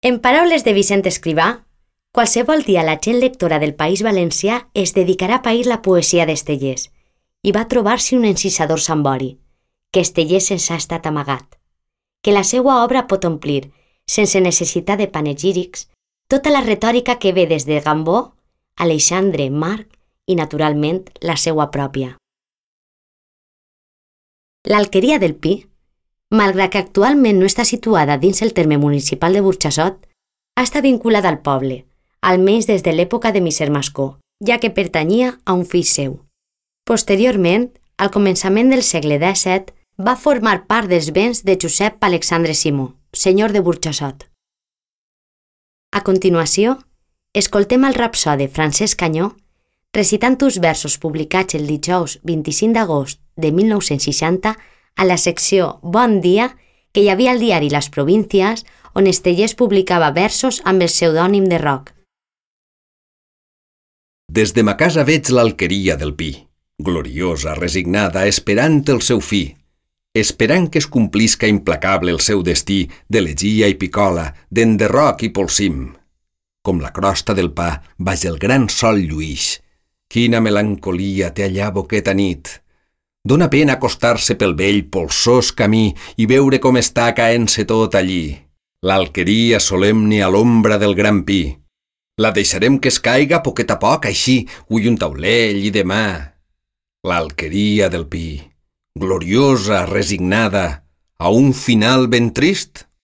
En paraules de Vicent Escrivà, qualsevol dia la gent lectora del País Valencià es dedicarà a pair la poesia d'Estellés i va trobar-s'hi un encisador Sambori, que Estellés se'ns ha estat amagat, que la seua obra pot omplir, sense necessitat de panegírics, tota la retòrica que ve des de Gambó, Alexandre, Marc i, naturalment, la seua pròpia. L'Alqueria del Pi, malgrat que actualment no està situada dins el terme municipal de Burjassot, ha estat vinculada al poble, almenys des de l'època de Miser Mascó, ja que pertanyia a un fill seu. Posteriorment, al començament del segle XVII, va formar part dels béns de Josep Alexandre Simó, senyor de Burjassot. A continuació, escoltem el rapsode Francesc Canyó recitant uns versos publicats el dijous 25 d'agost de 1960 a la secció Bon dia que hi havia al diari Les Províncies, on Estellés publicava versos amb el pseudònim de Roc. Des de ma casa veig l'Alqueria del Pi, gloriosa, resignada, esperant el seu fi, esperant que es complisca implacable el seu destí d'elegia i picola, d'enderroc i polsim. Com la crosta del pa baix el gran sol lluïx. Quina melancolia té allà boqueta nit. Dóna pena acostar-se pel vell polsós camí i veure com està caent-se tot allí. L'Alqueria solemne a l'ombra del gran pi. La deixarem que es caiga poquet a poc, així, ui un taulell i demà. L'Alqueria del Pi, gloriosa, resignada, a un final ben trist?